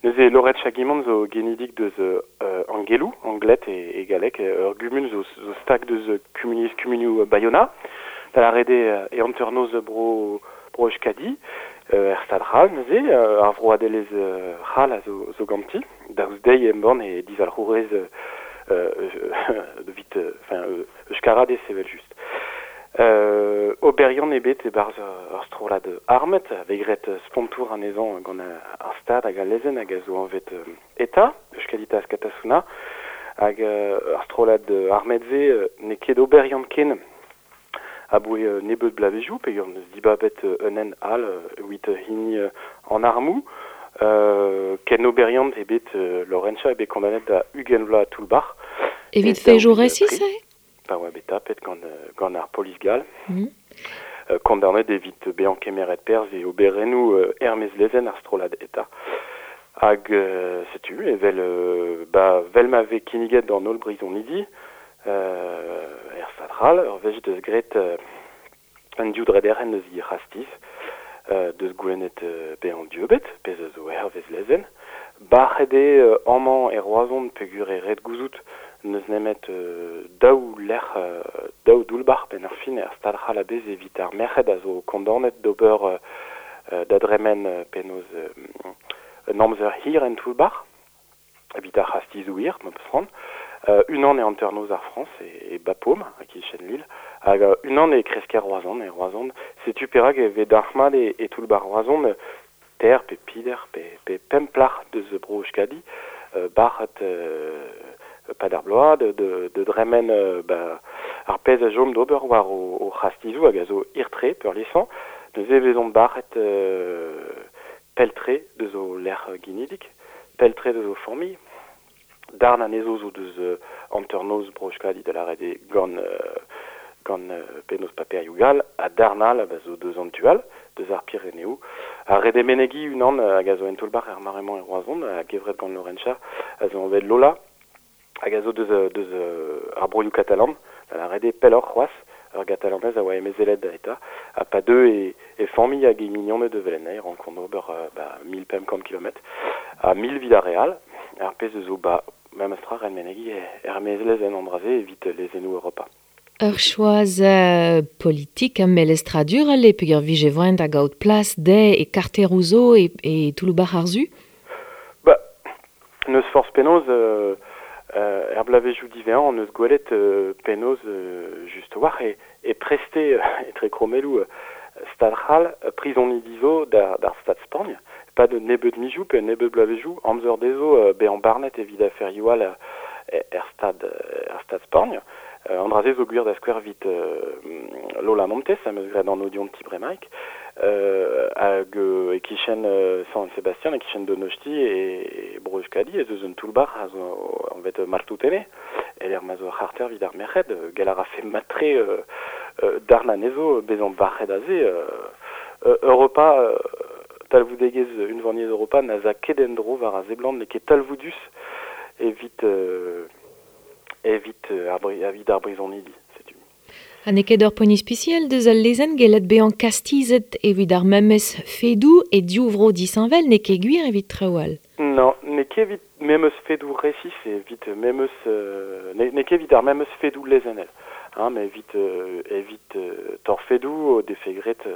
Neuze Lorentz Chagimon zo genidik deus Angelou, Anglet e galleg, ur gumun zo stag deus kumuniezh kumunioù Bayona, da lâret eo e hanternoz bro bro Euskadi, er stad c'hall neuze, ar vroadelezh c'hall a zo ganti, daoust dezhi embann he dizalc'hourez evit enfin euskaradez evel-just. Oberiant eo bet e-barzh ur strollad armet, a vez graet spontour anezhañ gant ar Stad hag al lezenn hag a zo anvet ETA, Euskadi Ta Askatasuna, hag ar strollad armet-se n'eo ket oberiant ken aboe nebeut bloavezhioù, peogwir n'eus dibabet un hent all evit hini an armoù. Ken oberiant eo bet Lorentza eo bet kondaonet da 20 vloaz toull-bac'h. Evit fejoù resis eo? Pa oa bet tapet gant ar polis gall. Kondaonet evit bezañ kemeret perzh e oberennoù er-maez lezenn ar strollad ETA. Hag setu, evel ba, 'vel ma vez kinniget d'an holl brizonidi er Stad c'hall, ur wech deus graet un div drederenn eus he c'hastiz, deus goulennet bezañ dieubet, pezh a zo hervez lezenn. Bac'het eo amañ e Roazhon peogwir eo ret gouzout n'eus nemet daou lec'h, daou doull-bac'h benn ar fin er Stad c'hall a-bezh evit ar merc'hed a zo kondaonet d'ober da dremen penaos un amzer hir en toull-bac'h evit ar c'hastizoù hir, ma 'peus c'hoant. Unan e hanternoz ar Frañs, e Bapaume, e-kichen Lille, hag unan e kresker Roazhon, e Roazhon. Setu perak e vez dalc'hmat e toull-bac'h Roazhon ter pe pider pe pemp plac'h deus bro Euskadi, bac'het pad ar bloaz, de dremen ba, ar pezh a chom d'ober war o c'hastizoù hag a zo hir-tre peurliesañ. Neuze e vezont bac'het pell-tre deus o lec'h ginidik, pell-tre deus o familh. Darn anezho zo deus hanternoz bro Euskadi, da lâret eo gant penaos paperioù gall, ha darn all a zo deus an tu all, deus ar Pireneoù. Ar ret eo menegiñ unan hag a zo en toull-bac'h er mare-mañ e Roazhon, a-gevret gant Lorentza, a zo anvet Lola, hag a zo deus ar broioù katalan, da lâret eo pelloc'h c'hoazh, ur gatalanez a oa emezelet da ETA, ha pa deu e familh hag e mignoned evel en e rankont ober ba 1500 kilometr, ha 1000 evit ar re all, ar pezh a zo ba memes tra ret menegiñ er-maez lezenn an dra-se evit lezennoù Europa. Ur choaz politik ha melestradurel eo peogwir vije voaien da gaout plas dezhe e karteroù zo e toull-bac'h ar Su? Ba, n'eus forzh penaos er bloavezhioù diwezhañ hon eus gwelet penaos just a-walc'h e preste etre krommelloù Stad c'hall prizonidi zo d'ar Stad Spagn e-pad un nebeud mizioù pe un nebeud bloavezhioù amzer dezho bezañ barnet evit aferioù all er Stad er Stad Spagn. An dra-se zo gwir da skouer evit Lola Montes am eus graet an dionti bremaik hag e-kichen San Sebastian, e-kichen Donosti e bro Euskadi ez eus un toull-bac'h a zo anvet Martutene e-lec'h ma zo ur c'harter evit ar merc'hed. Gall a rafe mat-tre darn anezho bezañ bac'het aze. Europa, talvoudegezh Unvaniezh Europa na za ket en-dro war a seblant, n'eo ket talvoudus evit evit evit ar brizonidi, setu. Ha n'eo ket ur poent ispisial deus al lezenn gellet bezañ kastizet evit ar memes fedoù e div vro disheñvel, n'eo ket gwir evit traoù all. Non, n'eo ket evit memes fedoù resis, evit memes n'eo ket evit ar memes fedoù lezennel, hein, met evit torfedoù o defe graet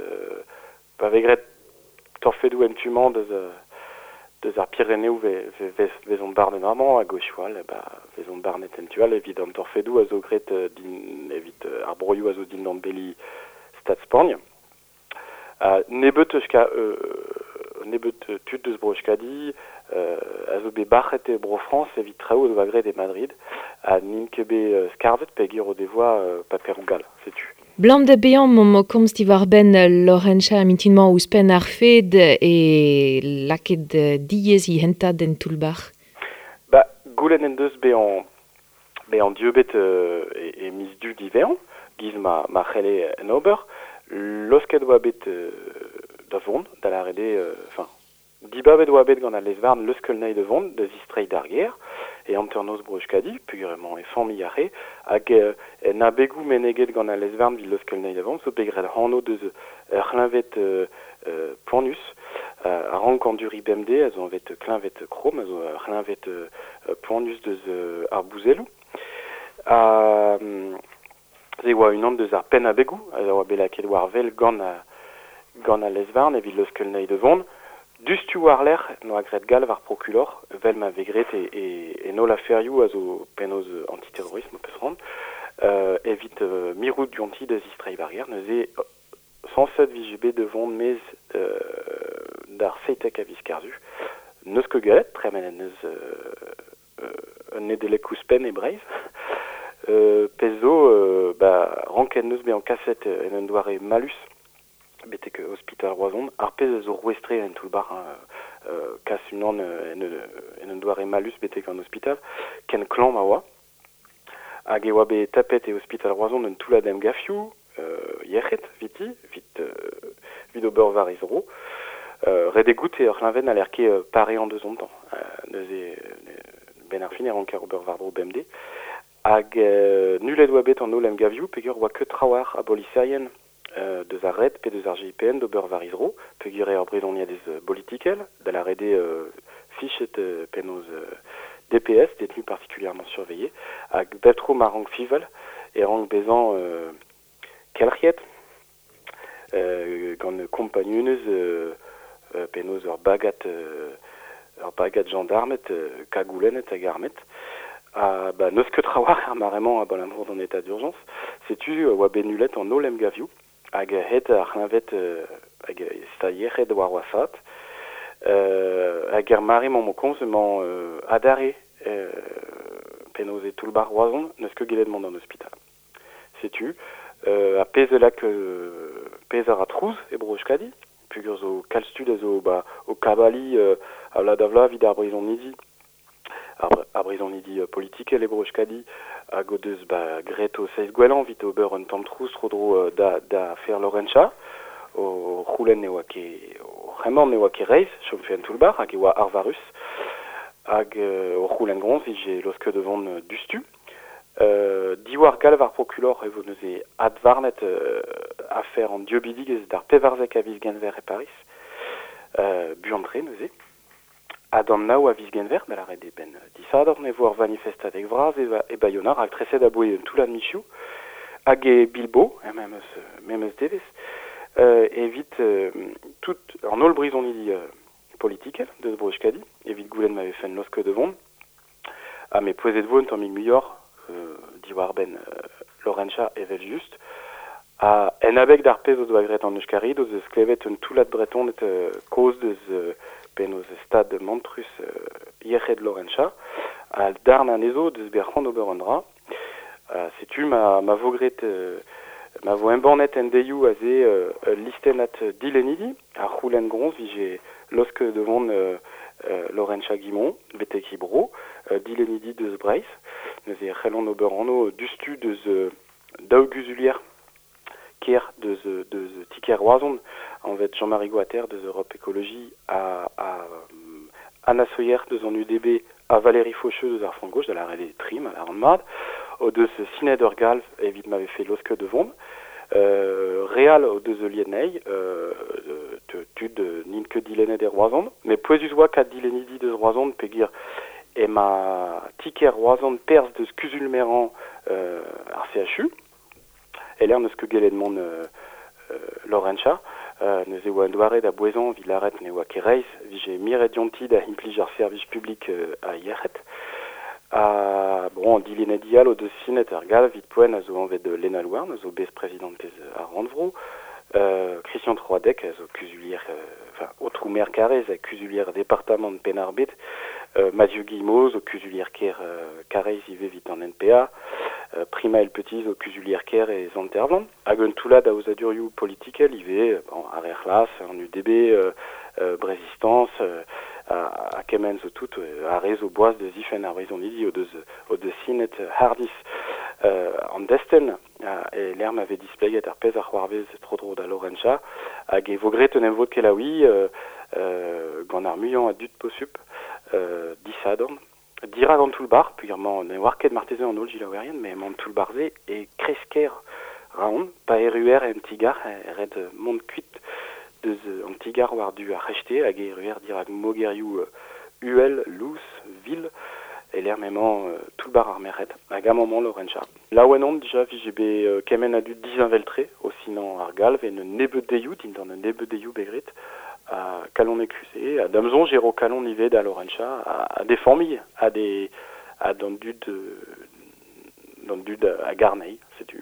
pa vez graet torfedoù en tu-mañ deus ar Pireneoù vezont barnet amañ hag wechoù all ba vezont barnet en tu all evit an torfedoù a zo graet din evit ar broioù a zo dindan beli Stad Spagn. Nebeut eus nebeut tud deus bro Euskadi a zo bet bac'het e bro Frañs evit traoù o doa graet e Madrid ha n'int ket bet skarzhet peogwir o devoa paperoù gall, setu. Blam da bezañ momp o komz diwar-benn Lorentza mintin-mañ ouzhpenn ar fed e lakaet diaes he hentad en toull-bac'h. Ba, goulenn en deus bezañ dieubet e miz Du diwezhañ, giz ma c'helle en ober. Losket oa bet da vont, da lâret eo, enfin, dibabet oa bet gant al lez-varn leuskel anezhi da vont, da zistreiñ d'ar gêr, e hanternoz bro Euskadi, peogwir emañ e familh aze, hag en abegoù meneget gant al lez-varn evit leuskel anezhi da vont, zo bet graet anv deus ur c'hleñved poanius. A rank an duri bemde, a zo anvet kleñved Crohn, a zo ur c'hleñved poanius deus ar bouzelloù. Ha se oa unan deus ar penn-abegoù, a oa bet lakaet war wel gant gant al lez-varn evit leuskel anezhi da vont. Diouzhtu war-lerc'h n'oa graet galv ar prokulor, 'vel ma vez graet e, e, en holl aferioù a zo penaos antiterrorisme o peus c'hoant, evit mirout dionti da zistreiñ war gêr. Neuze sañset 'vije bet da vont maez d'ar 17 a viz Kerzu. N'eus ket gallet, tremenet 'neus un Nedeleg ouzhpenn e Breizh. Pezh zo, ba, ranket 'neus bezañ kaset en un doare mallus betek ospital Roazhon, ar pezh a zo rouez-tre en toull-bac'h, hein, kas unan en un doare mallus betek an ospital, ken klañv ma oa. Hag e oa bet tapet e ospital Roazhon un toullad emgavioù yec'hed 'viti, 'vit ober war he zro. Ret eo goût eo ur c'hleñved n'haller ket pareañ deus ontañ. Neuze, 'benn ar fin e ranker ober war-dro bemdez. Hag nullet oa bet an holl emgavioù peogwir oa ket trawalc'h a boliserien deus ar red pe deus ar GIPN d'ober war he zro, peogwir eo ur brizoniadez bolitikel, da lâret eo fichet penaos DPS, détenu particulièrement surveillé, hag bep tro ma rank fiñval e rank bezañ kelc'hiet gant kompagnunezh penaos ur bagad jañdarmed kagoulennet hag armet. Ha ba n'eus ket trawalc'h ar mare-mañ abalamour d'an état d'urgence. Setu oa bet nullet an holl emgavioù hag aet ar c'hleñved hag e yec'hed war wasaat. Hag er mare-mañ 'mo komz emañ adarre penaos e toull-bac'h Roazhon n'eus ket gellet mont d'an ospital. Setu ar pezh a lak pezh a ra trouz e Bro-Euskadi, peogwir zo kalz tud a zo ba o kabaliñ a vloaz da vloaz evit ar brizonidi, ar brizonidi politikel e Bro-Euskadi hag o deus ba graet o seizh gwellañ evit ober un tamm trouz tro-dro da afer Lorentxa, o c'houlenn ne oa ket o c'hemmañ ne oa ket reizh chomfe en toull-bac'h hag e oa arvarus hag o c'houlenn groñs 'vije laosket da vont diouzhtu. Diwar galv ar prokulor e vo neuze advarnet afer an dieubidigezh d'ar 14 a viz Genver e Pariz, buan-tre neuze. Ha d'an nav a viz Genver, da lâret eo 'benn disadorn, e vo ur vanifestadeg vras e Baiona, raktreset aboe un toullad mizioù, hag e Bilbo, er memes devezh, evit tout an holl brizonidi politikel deus Bro-Euskadi, evit goulenn ma vefen laosket da vont. Ha met pouezet vo un tammig muioc'h diwar-benn Lorentxa evel-just. Ha en abeg d'ar pezh o doa graet an Euskarid o deus klevet un toullad Bretoned kozh deus penaos stad mantrus yec'hed Lorentxa, ha darn anezho deus bet c'hoant ober un dra. Setu ma vo graet ma vo embannet en deioù aze ul listennad dilennidi a c'houlenn groñs 'vije laosket da vont Lorentxa Guimont betek he bro, dilennidi deus Breizh. Neuze e c'hellont ober anv diouzhtu deus daou guzulier kêr deus ti-kêr Roazhon, anvet Jean-Marie Goater deus Europe Écologie ha Anna Sohier deus an UDB ha Valérie Faucheux deus ar Front Gauche, da lâret eo tri ma lâran mat, o deus sinet ur galv evit ma vefe laosket da vont. Re all o deus heuliet anezhi, tud n'int ket dilennet e Roazhon, met pouezus oa kat dilennidi deus Roazhon peogwir emañ ti-kêr Roazhon perzh deus kuzul-merañ ar CHU, e-lec'h n'eus ket gellet mont Lorentxa. Neuze oa un doare da bouezañ evit lâret ne oa ket reizh 'vije miret dionti da implij ar servij publik a yec'hed. Ha bon, an dilennidi all o deus sinet ar galv evit poent a zo anvet Lena Louarn, a zo besprezidantez ar rannvro, Christian Troadec a zo kuzulier, enfin, aotrou maer Karaez ha kuzulier departamant Penn-ar-Bed, Mathieu Guillemot zo kuzulier kêr Karaez ivez evit an NPA, Primaël Petit zo kuzulier kêr e Sant-Ervlan, hag un toullad aozadurioù politikel ivez, bon, ar Re C'hlas, an UDB, Brezistance, ha kement zo tout, ar re zo boas da zifenn ar brizonidi o deus sinet hardizh an destenn e lec'h ma vez displeget ar pezh a c'hoarvez tro-dro da Lorentxa, hag e vo graet un emvod kelaouiñ gant ar muiañ a dud posupl disadorn dirak an toull-bac'h, peogwir mañ ne oar ket marteze an holl selaouerien, met emañ an toull-bac'h-se e kreiz-kêr Raon, pa erruer en ti-gar e ret mont kuit deus deus an tigar war du ar c'hrechte hag e ruer dirak mogerioù uhel, lous, vil, e l'air memañ toull-bar ar merc'hed, hag amañ Lorencha. Laouen on dija vije bet kement a dud disheñvel-tre o sinañ ar galv en un nebeud deioù, dindan un nebeud deioù begrit, a kalon ekuze, a dam soñj eo kalon ivez da Lorencha, a des familles, a des a d'an dud d'an dud a garnei, setu.